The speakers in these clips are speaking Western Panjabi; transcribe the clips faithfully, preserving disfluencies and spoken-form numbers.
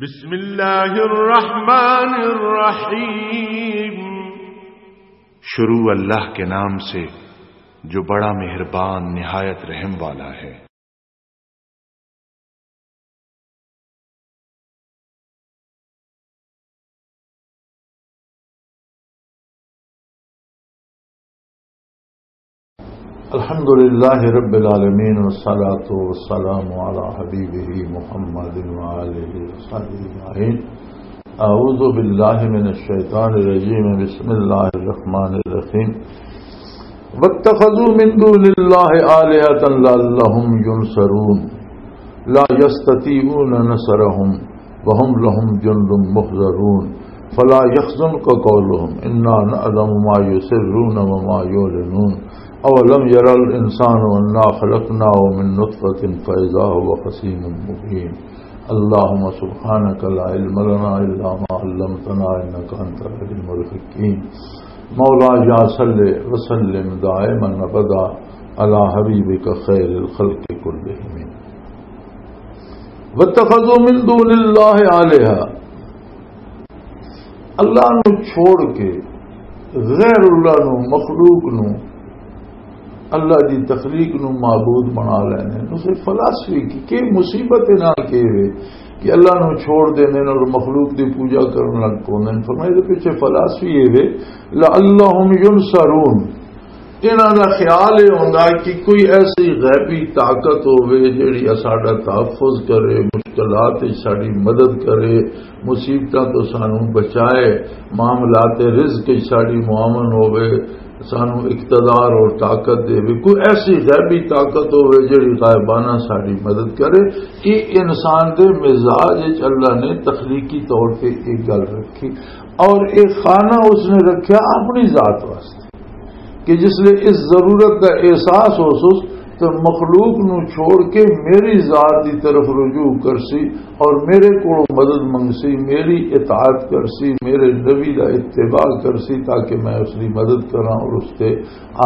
بسم اللہ الرحمن الرحیم۔ شروع اللہ کے نام سے جو بڑا مہربان نہایت رحم والا ہے۔ الحمد لله رب العالمين، والصلاة والسلام على حبيبه محمد وآله وصحبه أجمعين. أعوذ بالله من الشيطان الرجيم. بسم الله الرحمن الرحيم. واتخذوا من دون الله آلهة لعلهم ينصرون. لا يستطيعون نصرهم وهم لهم جند محضرون. فلا يحزنك قولهم، إنا نعلم ما يسرون وما يعلنون. أولم ير الإنسان أنا خلقناه من نطفة فإذا هو خصيم مبين. اللهم سبحانك لا علم لنا إلا ما علمتنا إنك أنت العليم الحكيم. مولاي صل وسلم دائما أبدا على حبيبك خير الخلق كلهم. واتخذوا من دون الله آلهة، اللہ نو چھوڑ کے، غیر اللہ نو، مخلوق نو، اللہ دی تخلیق نو معبود بنا لینے۔ اسے فلاسفی کی کہ مصیبت نہ کہ وے کہ اللہ نو چھوڑ دینے اور مخلوق دی پوجا کرن لگ پوندے نے۔ فرمایا، دے پیچھے فلاسفی یہ وے، لعلہم ینصرون۔ انہاں دا خیال یہ ہوندا کہ کوئی ایسی غیبی طاقت ہووے جڑی ساڈا تحفظ کرے، مشکلات وچ ساڈی مدد کرے، مصیبتاں تو سانو بچائے، معاملات رزق وچ ساڈی معاون ہووے، سانو اقتدار اور طاقت دے۔ کوئی ایسی غیبی طاقت ہووے جڑی غائبانہ ساڈی مدد کرے۔ یہ انسان دے مزاج وچ اللہ نے تخلیقی طور تے ایک گل رکھی، اور ایک خانہ اس نے رکھیا اپنی ذات واسطے، کہ جس لئے اس ضرورت دا احساس ہو سس تو مخلوق نو چھوڑ کے میری ذات دی طرف رجوع کرسی اور میرے کو مدد منگسی، میری اطاعت کرسی، میرے نبی دا اتباع کرسی، تاکہ میں اس دی مدد کراں اور اس تے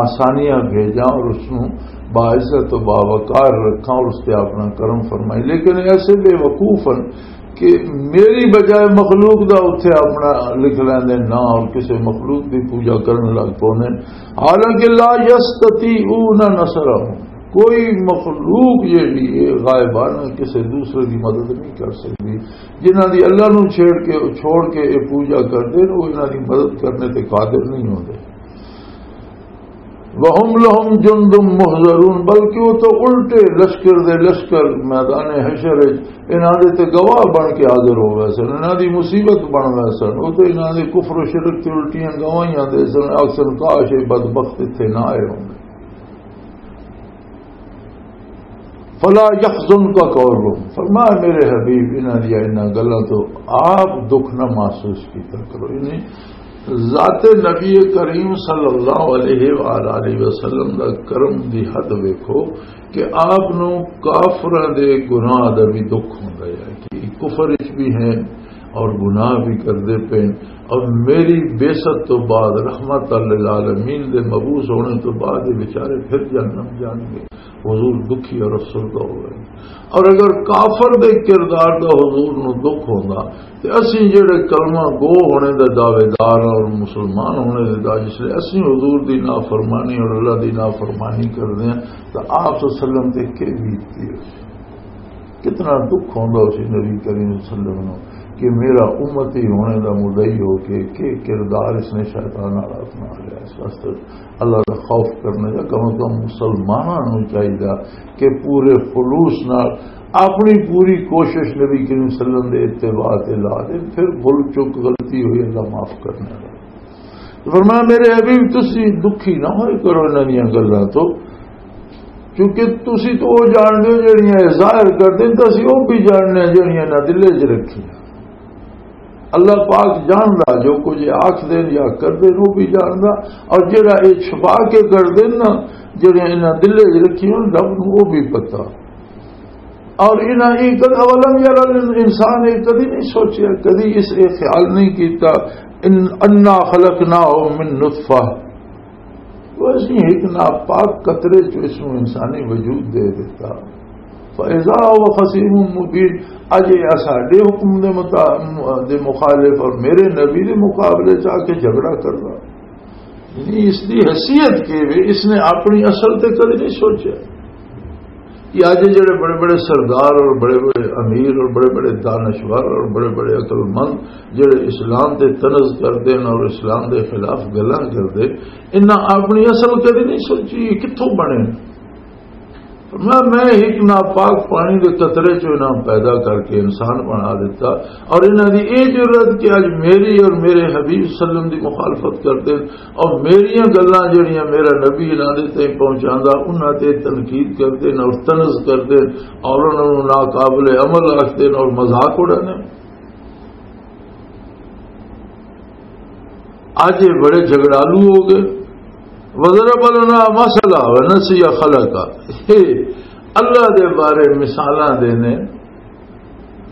آسانیاں بھیجاں اور اس نو باعزت و باوقار رکھاں اور اس تے اپنا کرم فرمائی۔ لیکن ایسے بے وقوف ہیں کہ میری بجائے مخلوق دا اتھے اپنا لکھ لیندے نا اور کسے مخلوق دی پوجا کرن لگ پوندے۔ حالانکہ لا یستطیعون نصرہم، کوئی مخلوق جیڑی ہے غائبانہ کسے دوسرے دی مدد نہیں کر سکتی۔ جنہاں دی اللہ نو چھیڑ کے، چھوڑ کے یہ پوجا کردے نے، وہ انہاں دی مدد کرنے تے قادر نہیں ہوندے۔ وَهُمْ لَهُمْ جُنْدٌ مُحْضَرُونَ، بلکہ وہ تو الٹے لشکر دے لشکر میدان حشر وچ انہاں دے تے گواہ بن کے حاضر ہو گئے سن، انہاں دی مصیبت بن گئے سن۔ وہ تو انہاں دے کفر و شرک تے الٹیاں گواہیاں دے سن، آکھ سن، "کاش یہ بدبخت اتھے نہ آئے ہوندے۔" فلا يحزنك قولهم، فرمایا میرے حبیب، انہاں دی انہاں گلاں تو آپ دکھ نہ محسوس کیتا کرو۔ یعنی ذات نبی کریم صلی اللہ علیہ وآلہ وسلم دا کرم دی حد ویکھو کہ آپ نو کافراں دے گناہ دا بھی دکھ ہوندا ہے کہ کفر وچ بھی ہیں اور گناہ بھی کردے پے، اور میری بعثت تو بعد، رحمت للعالمین دے مبعوث ہونے تو بعد یہ بیچارے پھر جہنم جان گے، حضور دکھی اور افسردہ ہو گئے۔ اور اگر کافر دے کردار دا حضور نو دکھ ہوندا تے اسی جڑے کلمہ گو ہونے دے دعوے دار اور مسلمان ہونے دے دعوے، جس لئے اسی حضور دی نافرمانی اور اللہ دی نافرمانی کردے ہیں، تو آپ صلی اللہ علیہ وسلم تے کی بیتتی ہو؟ کتنا دکھ ہوندا اسی نبی کریم صلی اللہ علیہ وسلم نو کہ میرا امتی ہونے دا مدعی ہو کے کہ کردار اس نے شیطان نال اپنا لیا۔ اس واسطے اللہ دا خوف کرنا یا کم از کم مسلماناں نو چاہیدا کہ پورے خلوص نال اپنی پوری کوشش نبی کریم صلی اللہ علیہ وسلم دے اتباع تے لا دے، پھر بھول چک غلطی ہوئی اللہ معاف کرنے والا۔ تو فرمایا، میرے حبیب، تسی دکھی نہ ہوئے کرو انہاں دیاں گلاں تو، کیونکہ تسی تو وہ جانتے ہو جڑیاں یہ ظاہر کردے، تو اسی وہ بھی جاننے ہیں جڑیاں انہاں دلے چ رکھی۔ اللہ پاک جاندا جو کچھ یہ آکھ دین یا کر دین، وہ بھی جاندا۔ اور جڑا یہ چھپا کے کر دین نا، جڑیاں انہاں دلے چ رکھی ہون، رب نو وہ بھی پتہ۔ اور انہاں یہ کد-، اولم یرا الانسان، یہ کدی نہیں سوچیا، کدی اس یہ خیال نہیں کیتا، ان، انا خلقناہ من نطفہ، وہ اسی ایک ناپاک قطرے چ اس نو انسانی وجود دے دیتا۔ اذا هو خصيم مبين۔ اج یہ ساڈے حکم دے مطا-، دے مخالف اور میرے نبی دے مقابلے چ آ کے جھگڑا کرنا، یعنی اس دی حیثیت کی وے، اس نے اپنی اصل تے کدی نہیں سوچا کہ اج جڑے بڑے بڑے سردار اور بڑے بڑے امیر اور بڑے بڑے دانشور اور بڑے بڑے عقل مند جڑے اسلام تے طنز کردے نے اور اسلام دے خلاف گلاں کردے، انہاں اپنی اصل کدی نہیں سوچی، یہ کتھوں بنے؟ فرمایا، میں ایک ناپاک پانی دے قطرے چوں انہاں پیدا کر کے انسان بنا دیتا، اور انہاں دی اے جرأت کہ اج میری اور میرے حبیب صلی اللہ علیہ وسلم دی مخالفت کردے، اور میریاں گلاں جڑیاں میرا نبی انہاں دے تائیں پہنچاندا، انہاں تے تنقید کردے نے اور طنز کردے اور انہاں نوں ناقابل عمل آکھدے نے اور مذاق اڑاندے نے۔ اج یہ بڑے جھگڑالو ہو گئے۔ وضرب لنا مثلا ونسی خلقا۔ یہ اللہ دے بارے مثالاں دے نے،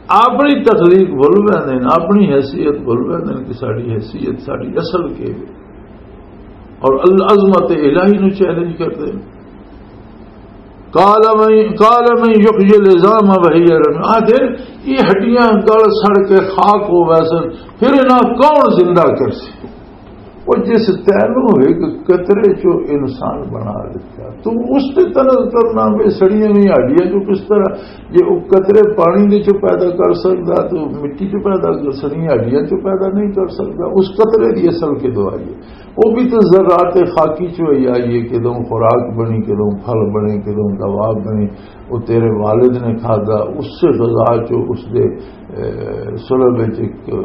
اپنی تخلیق بھول ویندے نے، اپنی حیثیت بھول ویندے نے کہ ساڈی حیثیت، ساڈی اصل کے ہے۔ اور العظمت الہی نو چیلنج کردے نے۔ قال من، قال من یحیی العظام وهی رمیم۔ آ دے، یہ ہڈیاں گل سڑ کے خاک ہو ویسن، پھر انہاں کون زندہ کر سی؟ وہ جس تینوں ایک قطرے چو انسان بنا دیتا، تو اس تے طنز کرنا بھی سڑیاں ہوئی ہڈیاں چو کس طرح، یہ وہ قطرے پانی دے چو پیدا کر سکتا تو مٹی چو پیدا کر، سڑیاں ہڈیاں چو پیدا نہیں کر سکتا۔ اس قطرے دی اصل کے دعائی ہے۔ وہ بھی تو ذرات خاکی چو ہی آئی ہے، کدوں خوراک بنی، کدوں پھل بنے، کدوں دوا بنی، وہ تیرے والد نے کھادا، اس سے غذا چو اس دے، اے، سلب وچ ایک، اے،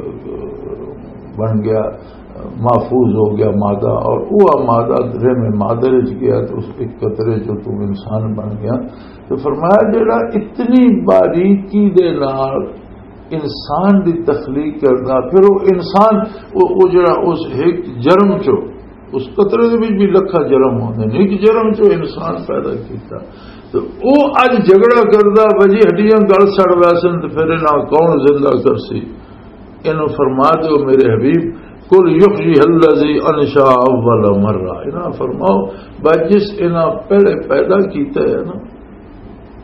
بن گیا، محفوظ ہو گیا مادہ، اور وہ مادہ رحم مادر وچ گیا تو اس ایک قطرے چو تو انسان بن گیا۔ تو فرمایا جڑا اتنی باریکی دے نال انسان دی تخلیق کردا، پھر وہ انسان، وہ، وہ جڑا اس ایک جرم چو، اس قطرے دے وچ بھی لکھاں جرم ہوندے نے، ایک جرم چو انسان پیدا کیتا۔ تو وہ اج جھگڑا کردا، وجی ہڈیاں گل سڑ ویسن، تو پھر انہاں کون زندہ کرسی؟ انہوں فرما دیو میرے حبیب، قل یحییها الذی انشأها اول مرہ، انہاں فرماؤ، بس جس انہاں پہلے پیدا کیتا ہے نا،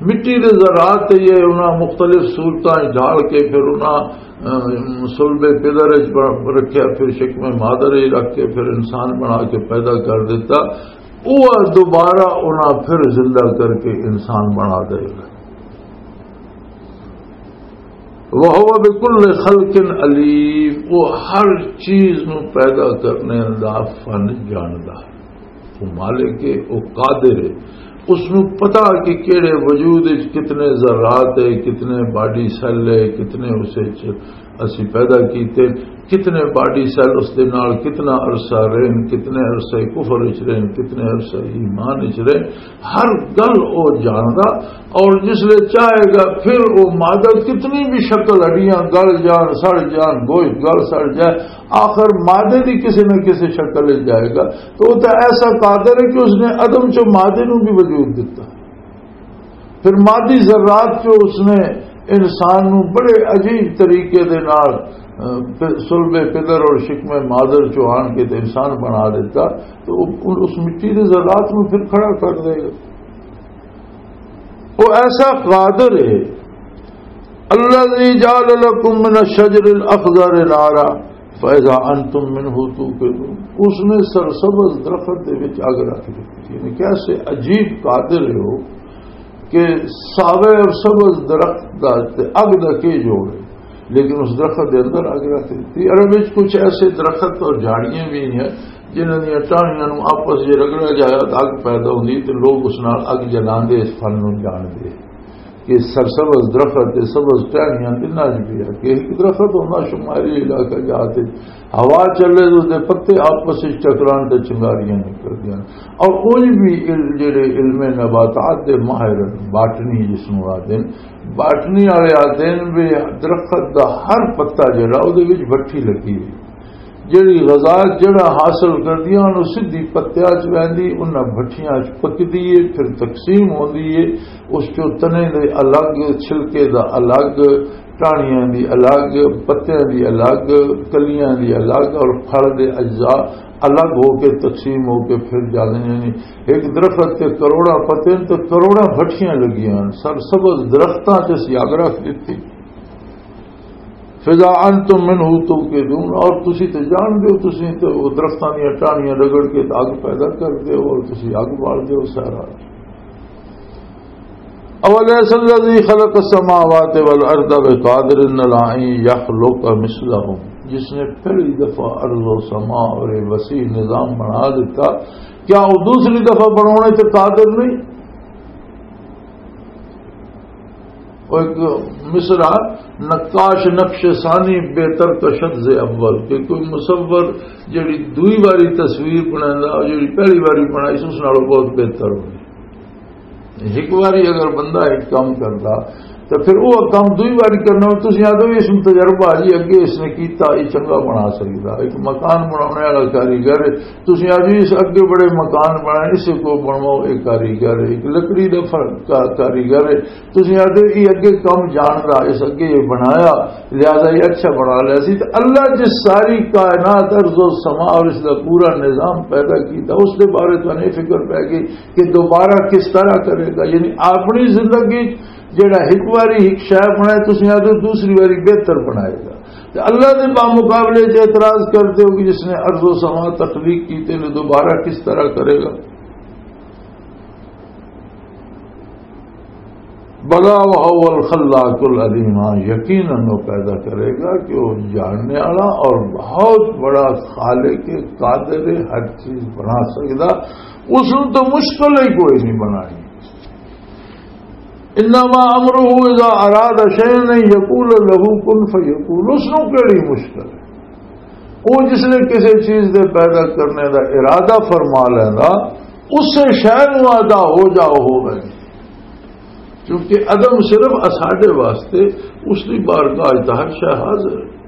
مٹی دے ذرات تے یہ انہاں مختلف صورتاں وچ ڈھال کے پھر انہاں، اہ، صلب پدر وچ ب-، رکھیا، پھر شکم مادر وچ رکھ کے پھر انسان بنا کے پیدا کر دیتا۔ وہ دوبارہ انہاں پھر زندہ کر کے انسان بنا دے گا۔ وَهُوَ بِكُلِّ خَلْقٍ عَلِيمٌ، وہ ہر چیز نو پیدا کرنے دا فن جاندا۔ وہ مالک ہے، وہ قادر ہے۔ اس نو پتا کہ کیڑے وجود وچ کتنے ذرات ہے، کتنے باڈی سیل ہے، کتنے اس وچ اسی پیدا کیتے، کتنے باڈی سیل اس دے نال کتنا عرصہ رہن، کتنے عرصے کفر وچ رہن، کتنے عرصے ایمان وچ رہن، ہر گل او جاندا۔ اور جس لے چاہے گا پھر او مادہ کتنی بھی شکل، ہڈیاں گل جان، سڑ جان، گوشت گل سڑ جائے، آخر مادے دی کسی نہ کسی شکل وچ جائے گا۔ تو وہ تو ایسا قادر ہے کہ اس نے عدم چو مادے نو بھی وجود دیتا۔ پھر مادی ذرات چو اس نے انسان نو بڑے عجیب طریقے دے نال، اہ، پ-، صلب پدر اور شکم مادر چو آن کے تے انسان بنا دیتا۔ تو وہ اس مٹی دے ذرات نو پھر کھڑا کر دے گا۔ وہ ایسا قادر ہے۔ الذی جعل لکم من الشجر الاخضر نارا فاذا انتم منه توقدون۔ اس نے سرسبز درخت دے وچ اگ رکھ دتی۔ یعنی کیسے عجیب قادر ہے وہ کہ ساوے اور سبز درخت دا تے اگ دا کی جوڑ ہے، لیکن اس درخت دے اندر اگ رکھ دتی۔ عرب وچ کچھ ایسے درخت اور جھاڑیاں بھی ہیں جنہاں دیاں ٹاہنیاں نوں آپس وچ رگڑیا جایا تے اگ پیدا ہوندی تے لوگ اس نال اگ جلاندے، اس فن نوں جاندے۔ کہ سرسبز درخت تے سبز ٹہنیاں تنہاں وچ بھی ہے کہ ایک درخت ہوندا شمالی علاقہ جات وچ، ہوا چلے تو دے پتے آپس وچ ٹکران تے چنگاریاں نکلدیاں۔ اور اونج بھی عل-، جڑے علم نباتات دے ماہر ہن، باٹنی جس نوں آدھے ہن، باٹنی والے آدھے ہن بھی درخت دا ہر پتا جڑا او دے وچ بٹھی لگی ہوئی۔ جڑی غذا جڑا حاصل کردیاں، انہوں سدھی پتیاں چ ویندی، انہاں بھٹیاں چ پکدی ہے، پھر تقسیم ہوندی ہے۔ اس چوں تنے دے الگ، چھلکے دا الگ، ٹاہنیاں دی الگ، پتیاں دی الگ، کلیاں دی الگ اور پھل دے اجزاء الگ ہو کے، تقسیم ہو کے پھر جاندے نے۔ ایک درخت تے کروڑاں پتے نے تے کروڑاں بھٹیاں لگیاں ہن۔ سر سبز درختاں چ اسی اگ رکھ دتی۔ فَإِذَا أَنْتُمْ مِنْهُ تُوْقِدُونَ، اور تسی تے جان دیو، تسی تے وہ درختاں دیاں ٹاہنیاں رگڑ کے تے اگ پیدا کر دیو اور تسی اگ بال دیو سارا۔ أَوَلَيْسَ الَّذِي خَلَقَ السَّمَاوَاتِ وَالْأَرْضَ بِقَادِرٍ عَلَىٰ أَن يَخْلُقَ مِثْلَهُمْ، جس نے پہلی دفعہ ارض و سما اور یہ وسیع نظام بنا دیتا، کیا وہ دوسری دفعہ بنانے تے قادر نہیں؟ وہ ایک مصرع، نقاش نقش ثانی بہتر کشد ز اول، کہ کوئی مصور جڑی دوئی واری تصویر بنائندا، جڑی پہلی واری بنائی سی، اس نالوں بہت بہتر ہوندی۔ ایک واری اگر بندہ ایک کام کردا، تو پھر وہ کام دوئی واری کرنا، تسی آدھو، "اس میں تجربہ جی، اگے اس نے کیتا، یہ چنگا بنا سکدا۔" ایک مکان بنانے والا کاریگر ہے، تسی آدھو، "اس اگے بڑے مکان بنائے، اسے کو بنواؤ، ایک کاریگر ہے۔" ایک لکڑی دا فرق کا-، کاریگر ہے، تسی آدھے، "یہ اگے کم جاندا، اس اگے یہ بنایا، لہذا یہ اچھا بنا لیا سی۔" تے اللہ جس ساری کائنات، ارض و سما اور اس دا پورا نظام پیدا کیتا، اس دے بارے تو نہیں فکر پہ گئی کہ دوبارہ کس طرح کرے گا۔ یعنی اپنی زندگی جڑا ایک واری ایک شے بنائے، تسی آدھے دوسری واری بہتر بنائے گا۔ تے اللہ دے بامقابلے چ اعتراض کرتے ہو کہ جس نے ارض و سما تخلیق کیتے نے، دوبارہ کس طرح کرے گا؟ بلا وهو الخلاق العلیم، ہاں، یقیناً وہ پیدا کرے گا کہ وہ جاننے والا اور بہت بڑا خالق قادر ہے، ہر چیز بنا سکدا۔ اس نوں تو مشکل ہی کوئی نہیں بنانی۔ انما امره اذا اراد شيئا ان يقول له كن فيكون، اس نوں کیڑی مشکل ہے؟ وہ جس نے کسی چیز دے پیدا کرنے دا ارادہ فرما لینا، اس سے شے نوں آدھا ہو جاؤ، ہو گئے۔ کیونکہ عدم صرف اساڈے واسطے، اس دی بارگاہ وچ ہر شے حاضر ہے۔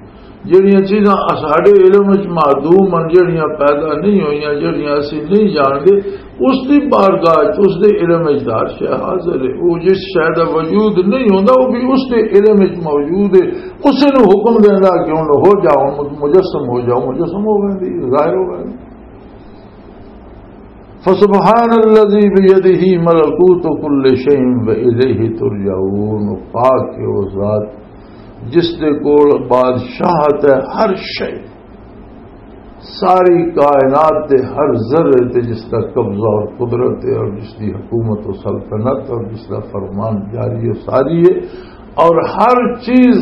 جڑیاں چیزاں اساڈے علم وچ معدوم ہن، جڑیاں پیدا نہیں ہوئیاں، جڑیاں اسی نہیں جاندے، اس دی بارگاہ وچ، اس دے علم وچ ہر شے حاضر ہے۔ وہ جس شے دا وجود نہیں ہوندا، وہ بھی اس دے علم وچ موجود ہے۔ اسے نوں حکم دیندا کہ ہن ہو جاؤ، مجسم ہو جاؤ، مجسم ہو ویندی، ظاہر ہو ویندی۔ فسبحان الذي بيده ملكوت كل شيء وإليه ترجعون، پاک ہے وہ ذات جس دے کول بادشاہت ہے ہر شے، ساری کائنات دے ہر ذرے تے جس دا قبضہ اور قدرت ہے اور جس دی حکومت و سلطنت اور جس دا فرمان جاری و ساری ہے، اور ہر چیز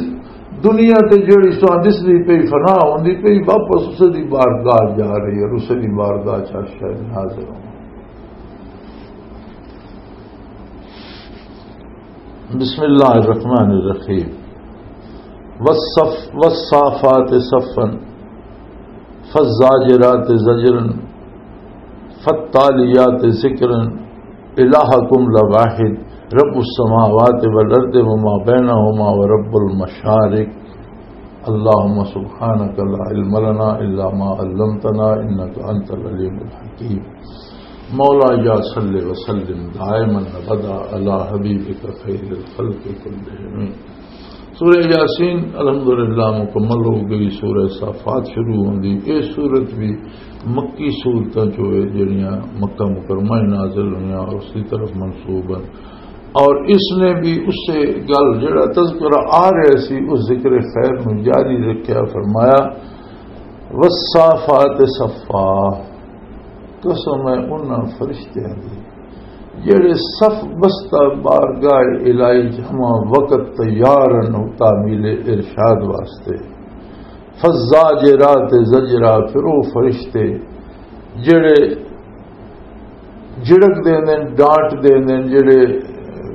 دنیا تے جڑی سو دسدی پئی، فنا ہوندی پئی، واپس اسے دی بارگاہ جا رہی ہے اور اسے دی بارگاہ چ ہر شے نازل ہوندا۔ بسم اللہ الرحمن الرحیم۔ والصف-، والصافات صفا، فالزاجرات زجرا، فالتاليات ذكرا، إلهكم لواحد، رب السماوات والأرض وما بينهما ورب المشارق۔ اللهم سبحانك لا علم لنا إلا ما علمتنا إنك أنت العليم الحكيم۔ مولا يا صل وسلم دائما أبدا على حبيبك خير الخلق كلهم۔ سورہ یاسین الحمدللہ مکمل ہو گئی، سورہ صافات شروع ہوندی۔ یہ سورت بھی مکی سورتاں چوں ہے، جڑیاں مکہ مکرمہ وچ نازل ہوئیاں اور اس کی طرف منسوب ہیں۔ اور اس نے بھی اسے گل، جڑا تذکرہ آ رہا سی، اس ذکر خیر نو جاری رکھیا، فرمایا، "والصافات صفا"، قسم ہے انہاں فرشتیاں دی جڑے صف بستہ بارگاہ الہی چ ہمہ وقت تیار ہن تعمیل ارشاد واسطے۔ فالزاجرات زجرا، پھر وہ فرشتے جڑے جھڑک دیندے نے، ڈانٹ دیندے نے، جڑے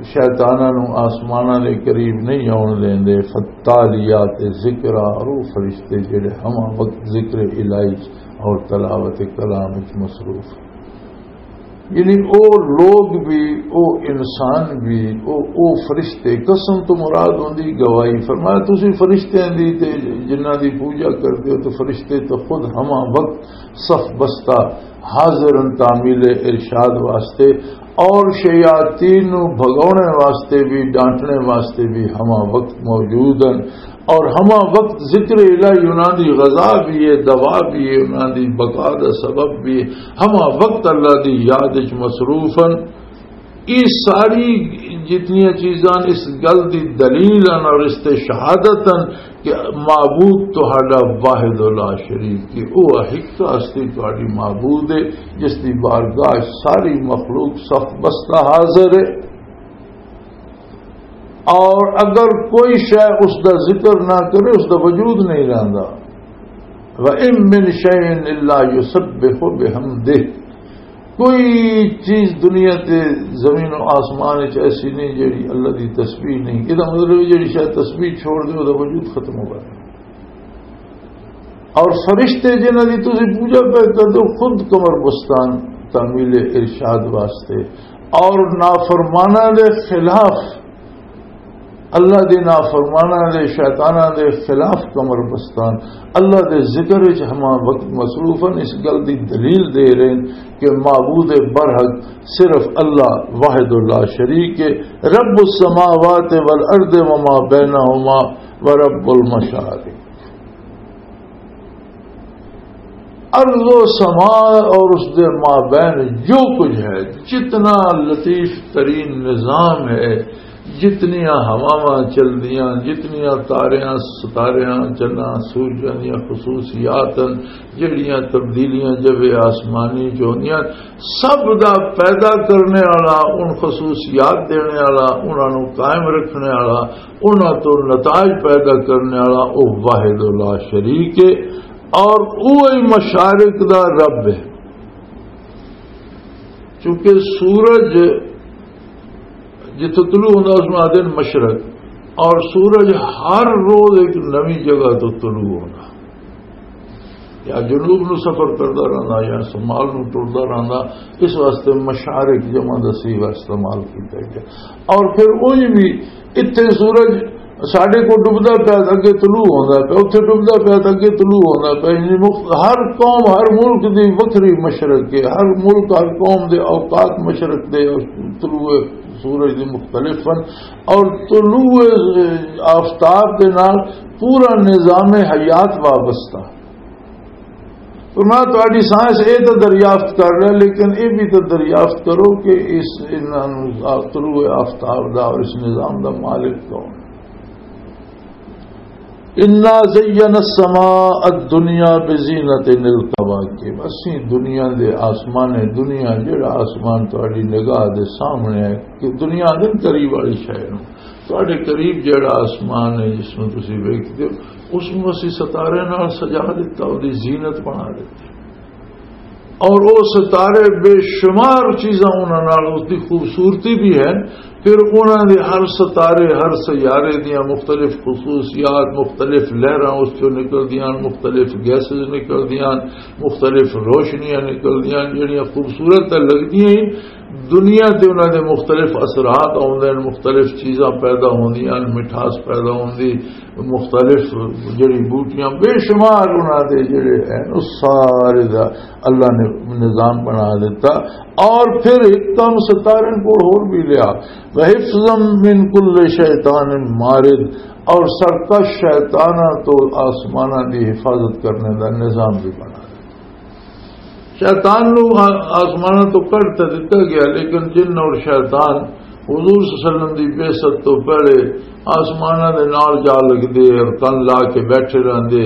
شیطاناں نوں آسماناں دے قریب نہیں آون دیندے۔ فالتالیات ذکرا، اور وہ فرشتے جڑے ہمہ وقت ذکر الہی اور تلاوت کلام وچ مصروف۔ یعنی او لوگ بھی، او انسان بھی، او، او فرشتے، قسم تو مراد ہوندی گواہی۔ فرمایا، تسی فرشتیاں دی تے جنہاں دی پوجا کردے ہو، تو فرشتے تو خود ہمہ وقت صف بستہ حاضر ہن تعمیل ارشاد واسطے، اور شیاطین نو بھگاونے واسطے بھی، ڈانٹنے واسطے بھی ہمہ وقت موجود ہن۔ اور ہمہ وقت ذکر الہی انہاں دی غذا بھی ہے، دوا بھی ہے، انہاں دی بقا دا سبب بھی ہے۔ ہمہ وقت اللہ دی یاد وچ مصروف ہن۔ یہ ساری جتنیاں چیزاں اس گل دی دلیل ہن اور اس تے شہادت ہن کہ معبود تہاڈا واحد لا شریک ہے، وہ ایک ہستی تہاڈی معبود ہے، جس دی بارگاہ ساری مخلوق صف بستہ حاضر ہے۔ اور اگر کوئی شے اس دا ذکر نہ کرے، اس دا وجود نہیں رہندا۔ وَإِن مِّن شَيْءٍ إِلَّا يُسَبِّحُ بِحَمْدِهِ۔ کوئی چیز دنیا تے زمین و آسمان وچ ایسی نہیں جیڑی اللہ دی تسبیح نہیں۔ یہ مطلب ہے جیڑی شاید تسبیح چھوڑ دے، وہ وجود ختم ہو گیا۔ اور فرشتے جنہاں دی تسی پوجا پہ کر دو، خود کمر بستان تعمیل ارشاد واسطے، اور نافرماناں دے خلاف، اللہ دے نافرماناں دے، شیطاناں دے خلاف کمر بستان، اللہ دے ذکر وچ ہمہ وقت مصروف ہن۔ اس گل دی دلیل دے رہے ہیں کہ معبود برحق صرف اللہ واحد لا شریک ہے، رب السماوات والارض وما بینہما ورب المشارق۔ ارض و سما اور اس دے مابین جو کچھ ہے، جتنا لطیف ترین نظام ہے، جتنیاں ہواواں چلدیاں، جتنیاں تاریاں، ستاریاں، چناں، سورجاں دیاں خصوصیات ہیں، جڑیاں تبدیلیاں جب آسمانی چ ہوندیاں، سب دا پیدا کرنے والا، ان خصوصیات دینے والا، انہاں نوں قائم رکھنے والا، انہاں تو نتائج پیدا کرنے والا، او واحد لا شریک ہے۔ اور وہی مشارق دا رب ہے، کیونکہ سورج جتھوں طلوع ہوندا، اس نوں آدھے نے مشرق، اور سورج ہر روز ایک نویں جگہ تو طلوع ہوندا، یا جنوب نو سفر کردا رہندا یا شمال نو ٹردا رہندا، اس واسطے مشارق جمع دا صیغہ استعمال کیتا گیا۔ اور پھر وہی بھی اتھے سورج ساڈے کو ڈبدا پیا تے اگے طلوع ہوندا پیا، اتھے ڈبدا پیا تے اگے طلوع ہوندا پیا۔ یعنی مخ-، ہر قوم، ہر ملک دی وکھری مشرق ہے، ہر ملک، ہر قوم دے اوقات مشرق دے اور طلوع سورج دے مختلف ہیں، اور طلوع آفتاب دے نال پورا نظام حیات وابستہ۔ فرمایا، تہاڈی سائنس اے تے دریافت کر رہا، لیکن اے بھی تے دریافت کرو کہ اس، انہاں نوں، طلوع آفتاب دا اور اس نظام دا مالک کون؟ انا زینا السماء الدنیا بزینت الکواکب۔ اسی دنیا دے آسمان، دنیا جڑا آسمان تہاڈی نگاہ دے سامنے ہے، کہ دنیا دے قریب والی شے نوں، تہاڈے قریب جڑا آسمان ہے جس نوں تسی ویکھدے ہو، اس نوں اسی ستارے نال سجا دتا، اودی زینت بنا دتی۔ اور وہ ستارے بے شمار چیزاں انہاں نال، اس دی خوبصورتی بھی ہے۔ پھر انہاں دے ہر ستارے، ہر سیارے دیاں مختلف خصوصیات، مختلف لہراں اس چوں نکلدیاں، مختلف گیسز نکلدیاں، مختلف روشنیاں نکلدیاں، جڑیاں خوبصورت تے لگدیاں ہی۔ دنیا تے انہاں دے مختلف اثرات آوندے ہن، مختلف چیزاں پیدا ہوندیاں ہن، مٹھاس پیدا ہوندی، مختلف جڑی بوٹیاں، بے شمار انہاں دے جڑے ہیں، وہ سارے دا اللہ نے نظام بنا دیتا۔ اور پھر ایک کم ستارے کو ہور بھی لیا، وحفظا من کل شیطان مارد، اور سرکش شیطاناں تو آسماناں دی حفاظت کرنے دا نظام بھی بنا دیتا۔ شیطان نو آ-، آسماناں تو کڈ تے دتا گیا، لیکن جن اور شیطان حضور صلی اللہ علیہ وسلم دی بعثت تو پہلے آسماناں دے نال جا لگدے اور کن لا کے بیٹھے رہندے،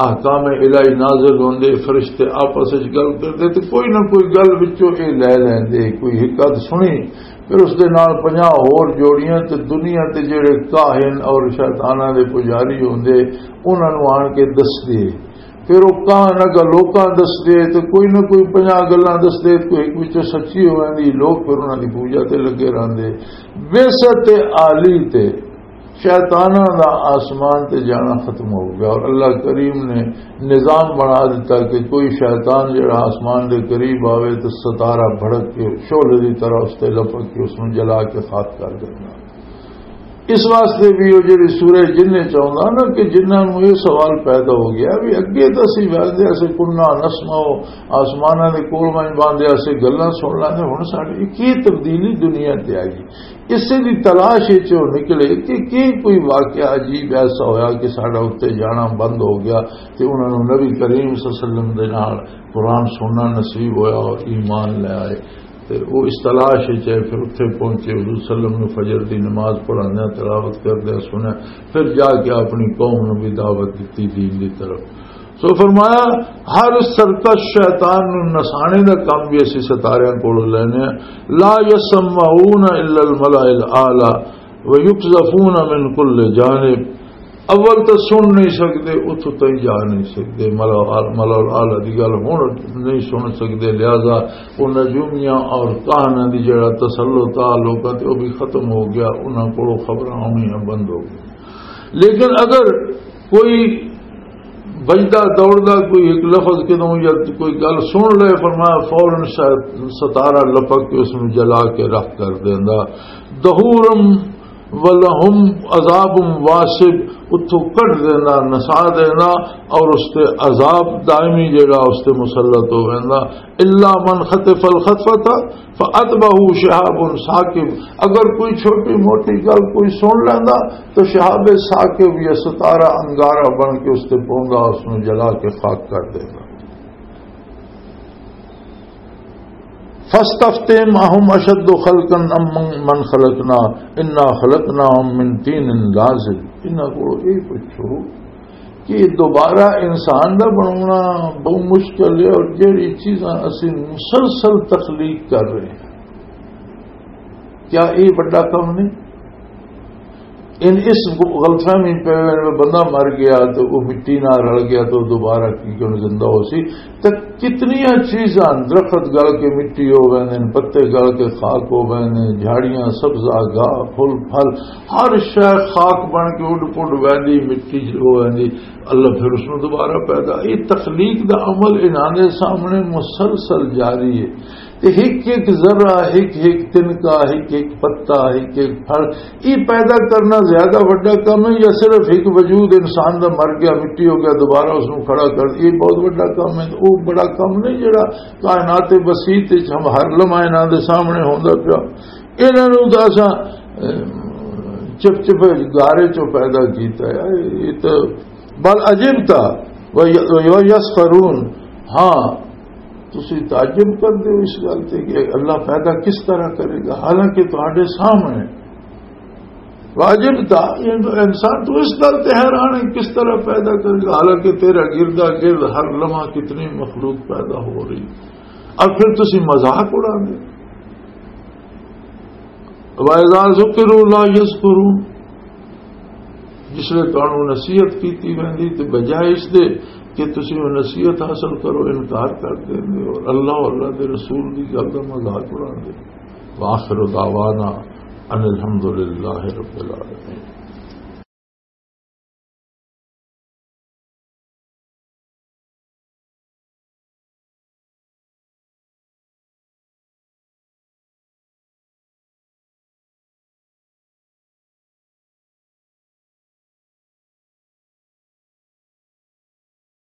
احکام الہی نازل ہوندے، فرشتے آپس وچ گل کردے تے کوئی نہ کوئی گل وچوں اے لے لیندے، کوئی حکمت سنی، پھر اس دے نال پنجاہ ہور جوڑیاں تے دنیا تے جڑے کاہن اور شیطاناں دے پجاری ہوندے، انہاں نوں آن کے دسدے۔ پھر وہ کہاں نہ کہ لوکاں دسدے تے کوئی نہ کوئی پنجاہ گلاں دسدے، کوئی ایک وچوں سچی ہو ویندی، لوگ پھر انہاں دی پوجا تے لگے رہندے۔ بعثت عالی تے شیطاناں دا آسمان تے جانا ختم ہو گیا اور اللہ کریم نے نظام بنا دیتا کہ کوئی شیطان جڑا آسمان دے قریب آوے تو ستارہ بھڑک کے شعلے دی طرح اس تے لپک کے اس نوں جلا کے خاک کر دینا۔ اس واسطے بھی وہ جڑی سورہ جن وچ آوندا نا کہ جنہاں نوں یہ سوال پیدا ہو گیا بھی اگے تو اسی ویندے اسے کنہ نسمع، آسماناں دے کول ونج باندے اسے گلاں سن لیندے، ہن ساڈی کی تبدیلی دنیا تے آئی؟ اسے دی تلاش وچ وہ نکلے کہ کی کوئی واقعہ عجیب ایسا ہویا کہ ساڈا اتنے جانا بند ہو گیا، تے انہاں نوں نبی کریم صلی اللہ علیہ وسلم دے نال قرآن سننا نصیب ہویا اور ایمان لے آئے۔ تے وہ اس تلاش وچ ہے، پھر اتھے پہنچے، حضور صلی اللہ علیہ وسلم نے فجر دی نماز پڑھاندے تلاوت کردے سنیا، پھر جا کے اپنی قوم نوں بھی دعوت دتی دین دی طرف۔ سو فرمایا، ہر سرکش شیطان نوں نسانے دا کم بھی اسی ستاریاں کولوں لینے ہیں۔ لا یسمعون الا الملأ الاعلی ویقذفون من کل جانب۔ اول تو سن نہیں سکتے، اتھوں تئی جا نہیں سکتے، ملأ، ملأ الاعلی دی گل ہن نہیں سن سکتے، لہذا وہ نجومیاں اور کاہناں دی جڑا تسلط آ لوکاں تے، وہ بھی ختم ہو گیا، انہاں کولوں خبراں آنیاں بند ہو گئی۔ لیکن اگر کوئی بجدا دوڑدا کوئی ایک لفظ کدوں یا کوئی گل سن لے، فرمایا فوراً شاید ستارہ لپک کے اس نوں جلا کے رکھ کر دیندا۔ دہورم ولہم عذاب واسب، اتھوں کڈ دینا، نسا دینا، اور اس تے عذاب دائمی جڑا اس تے مسلط ہو ویندا۔ الا من خطف الخطفۃ فاتبعہ شہاب ثاقب، اگر کوئی چھوٹی موٹی گل کوئی سن لیندا تو شہاب ثاقب یا ستارہ انگارہ بن کے اس تے پوندا، اس نوں جلا کے خاک کر دیندا۔ فاستفتہم اہم اشد خلقا ام من خلقنا انا خلقناہم من طین لازب۔ انہاں کولوں یہ پوچھو کہ دوبارہ انسان دا بناونا بہت مشکل ہے، اور جہڑی چیزاں اسی مسلسل تخلیق کر رہے ہیں، کیا یہ بڑا کم نہیں؟ ان اس غلط فہمی پہ بندہ مر گیا تو وہ مٹی نہ رل گیا تو دوبارہ کی کیوں زندہ ہو سی؟ تے کتنیاں چیزاں، درخت گل کے مٹی ہو ویندے نے، پتے گل کے خاک ہو ویندے نے، جھاڑیاں، سبزہ، گاہ، پھل، پھل، ہر شے خاک بن کے اڈ پڈ ویندی، مٹی ہو ویندی۔ اللہ پھر اس نوں دوبارہ پیدا۔ یہ تخلیق دا عمل انہاں دے سامنے مسلسل جاری ہے۔ تے ہک ہک ذرہ، ہک ہک تنکا، ہک ہک پتا، ہک ہک پھل، یہ پیدا کرنا زیادہ وڈا کم ہے یا صرف ایک وجود انسان دا مر گیا، مٹی ہو گیا، دوبارہ اس نوں کھڑا کر دیا؟ یہ بہت وڈا کم ہے۔ وہ بڑا کم نہیں جڑا کائنات وسیع وچ ہم ہر لمحہ انہاں دے سامنے ہوندا پیا؟ انہاں نوں تاں اساں، اے، چپ چپ گارے چوں پیدا کیتا ہے۔ یہ تو بل عجبت و یسخرون۔ ہاں، تسی تعجب کردے ہو اس گل تے کہ اللہ پیدا کس طرح کرے گا، حالانکہ تہاڈے سامنے۔ واجب تھا، یہ تو انسان تو اس گل تے حیران ہے، کس طرح پیدا کرے گا، حالانکہ تیرا گردا گرد ہر لمحہ کتنی مخلوق پیدا ہو رہی، اور پھر تسی مذاق اڑا دے۔ وَإِذَا ذُكِّرُوا لَا يَذْكُرُونَ۔ جس لئے تانوں نصیحت کیتی ویندی تے بجائے اس دے کہ تسی وہ نصیحت حاصل کرو، انکار کر دیندے ہو اور اللہ، اللہ دے رسول دی گل دا مذاق اڑاندے۔ وآخر دعوانا ان الحمد للہ رب العالمین۔